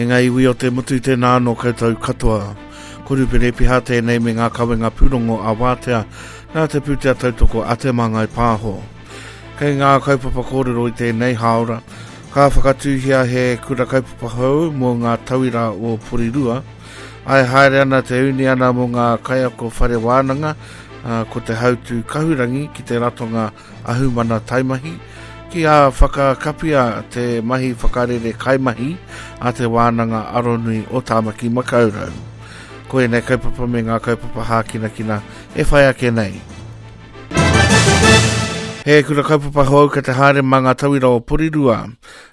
E ngā iwi o te motu tēnā anō koutou katoa. Ko Rupene Piha tēnei me ngā kawenga pūrongo a Wātea nā te pūtea tautoko a Te Māngai Pāho. Kei ngā kaupapa kōrero i tēnei hāora, ka whakatūhia he kura kaupapa hou mō ngā tauira o Porirua, Ae haere ana te uniana mō ngā kaiako whare wānanga, ko te hautū kahurangi ki te ratonga ahumana taimahi, ki a whakakapia te mahi whakarere kaimahi a te Wānanga Aronui o Tāmaki Makaurau. Ko ēnei kaupapa me ngā kaupapa hākinakina e whai ake nei. He kura kaupapa hou kei te haere mā ngā tauira o Porirua.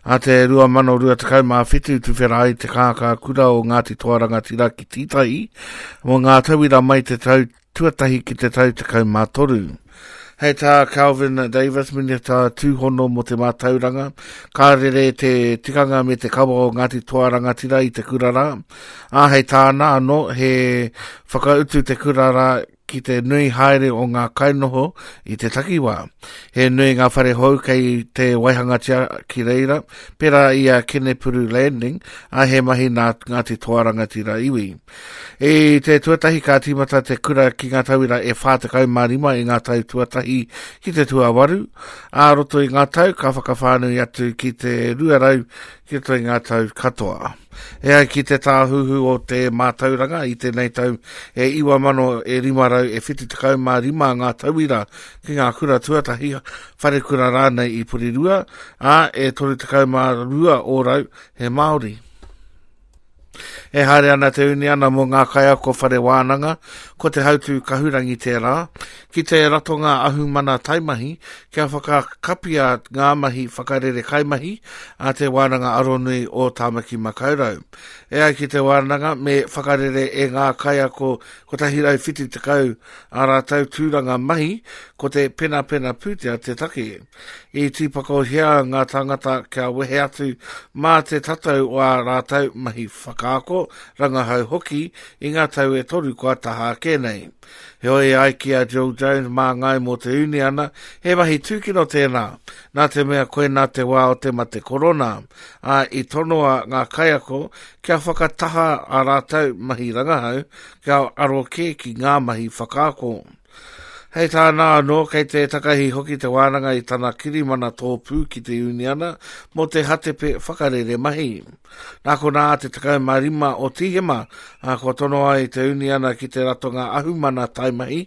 A te 2027 tuwhera ai te kākā kura o Ngāti Toa Rangatira ki Tītahi mō ngā tauira mai te tau tuatahi ki te tau 13. Hei tā Kelvin Davis, Minita Tūhono mō te Mātauranga, ka rere te tikanga me te kawa o Ngāti Toa Rangatira i te kura rā. Ā, hei tāna anō, he whakautu te kura rā ki te nui haere o ngā kainoho i te takiwā. He nui ngā whare hou kei te waihangatia ki reira, pērā i a Kenepuru Landing, ā, he mahi nā Ngāti Toa Rangatira iwi. I te tuatahi ka tīmata te kura ki ngā tauira e 45 i ngā tau tuatahi ki te tuawaru, ā roto i ngā tau ka whakawhānui atu ki te 200 ki roto i ngā tau katoa. E ai ki te Tāhuhu o te Mātauranga i tēnei tau e 9,500 e 75 ngā tauira ki ngā kura tuatahi, wharekura rānei i Porirua, ā, e 32 ōrau he Māori. E haere ana te uniana mō ngā kaiako whare wānanga, ko te hautū kahurangi tērā, ki te ratonga ahumana taimahi kia whakakapia ngā mahi whakarere kaimahi a Te Wānanga Aronui o Tāmaki Makaurau. E ai ki te wānanga, me whakarere e ngā kaiako 170 ā rātou tūranga mahi, ko te penapena pūtea te take. I tīpakohia ngā tāngata kia wehe atu mā te tatau o ā rātou mahi whakaako, rangahau hoki i ngā tau e toru kua taha ake nei. Heoi e ai ki a Jill Jones māngai mō te uniana, he mahi tūkino tēnā, nā te mea koinā te wā o te mate korona, ā, i tonoa ngā kaiako kia whakataha ā rātou mahi rangahau kia aro kē ki ngā mahi whakaako. Hei tāna anō, kei te takahi hoki te wānanga i tana kirimana tōpū ki te uniana mō te hatepe whakarere mahi. Nā konā te 15 o Tīhema, ā, kua tono ai te uniana ki te ratonga ahumana taimahi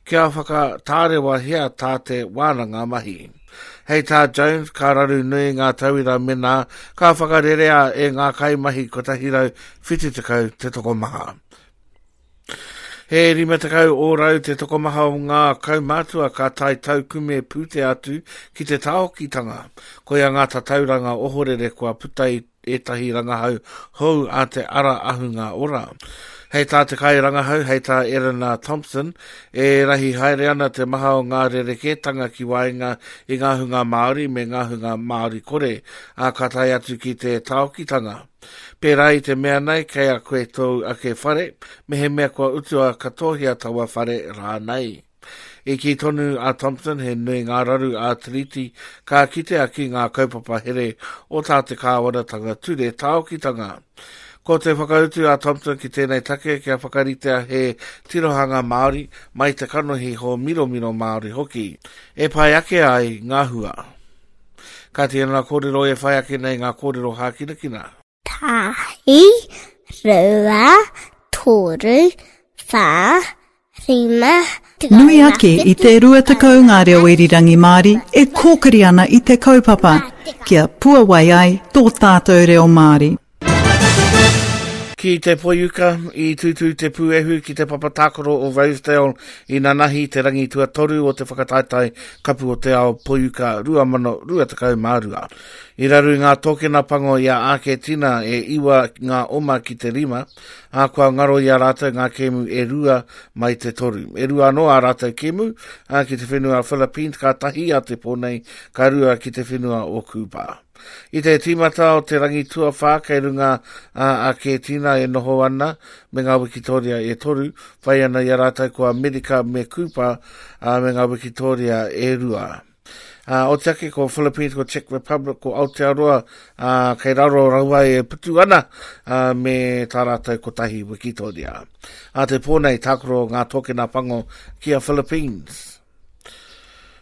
kia whakatārewahia tā te wānanga mahi. Hei tā Jones, ka raru nui ngā tauira menā ka whakarerea e ngā kaimahi 170 te tokomaha. He 50 ōrau te tokomaha o ngā kaumātua ka tae taukume pūtea atu ki te tāokitanga. Koia ngā tatauranga ohorere kua puta i ētahi rangahau hou a te Ara Ahunga Ora. Hei tā te kairangahau, hei tā Erina Thompson, e rahi haere ana te maha o ngā rerekētanga ki waenga i ngā hunga Māori me ngā hunga Māori kore, ā, ka tae atu ki te tāokitanga. Pērā i te mea nei, kei a koe tōu ake whare, mehemea kua utua katohia taua whare rānei. I kī tonu a Thompson he nui ngā raru ā-Tiriti ka kitea ki ngā kaupapa here o tā te kāwanatanga ture tāokitanga. Ko te whakautu a Thompson ki tēnei take kia whakaritea he tirohanga Māori mai te kanohi hōmiromiro Māori hoki, e pai ake ai ngā hua. Ka tēnā kōrero e whai ake nei ngā kōrero hākinakina. Tahi, rua, toru, whā, rima, Nui ake i te 20 ngā reo irirangi Māori e kōkiri ana i te kaupapa kia puawai ai tō tātou reo Māori. Ki te Poiuka, i tūtū te pūehu ki te papa tākaro o Rosedale i nanahi te rangi tuatoru o te whakataetae Kapu o te Ao Poiuka 2022. I raru ngā tōkena pango i a Āketina e iwa ngā oma ki te rima, ā, kua ngaro i a rātou ngā kēmu e rua mai te toru. E rua anō ā rātou kēmu, ā, ki te whenua Philippines ka tahi a te pō nei, ka rua ki te whenua o Kūpā. I te tīmata o te rangi tuawhā kei runga a Akētina e noho ana me ngā wikitōria e toru, whai ana i a rātou ko Amerika me Kūpa, ā, me ngā wikitōria e rua. Ā, oti ake ko Philippines, ko Czech Republic, ko Aotearoa, ā, kei raro rawa e putu ana, ā, me tā rātou kotahi wikitoria. Ā te pō nei, tākaro ngā tōkena pango ki a Philippines.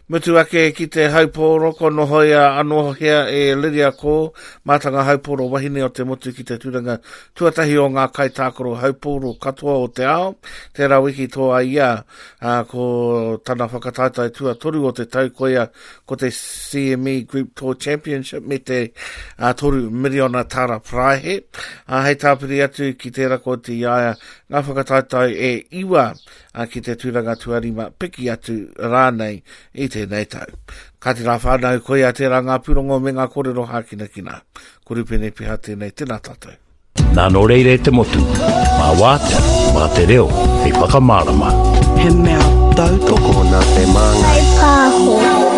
Mutu ake ki te haupōro, ko nohoia anō hea e Lydia Ko, mātanga haupōro wahine o te motu ki te tūranga tuatahi o ngā kaitākaro haupōro katoa o te ao. Tērā wiki tō a ia, ā, ko tana whakataetae tuatoru o te tau koia ko te CME Group Tour Championship me te 3 miriona tāra paraihe. Ā, hei tāpiri atu ki tērā ko te i a ia ngā whakataetae e iwa ā, ki te tūranga tuarima piki atu rānei i tēnei tau. Kāti rā whānau, koia tērā ngā pūrongo me ngā kōrero hākinakina. Ko Rupene Piha tēnei, tēnā tātou. Nā nō reira e te motu, mā wātea, mā te reo, hei whakamārama. He mea tautoko Tokona te māngai. Whaipāho.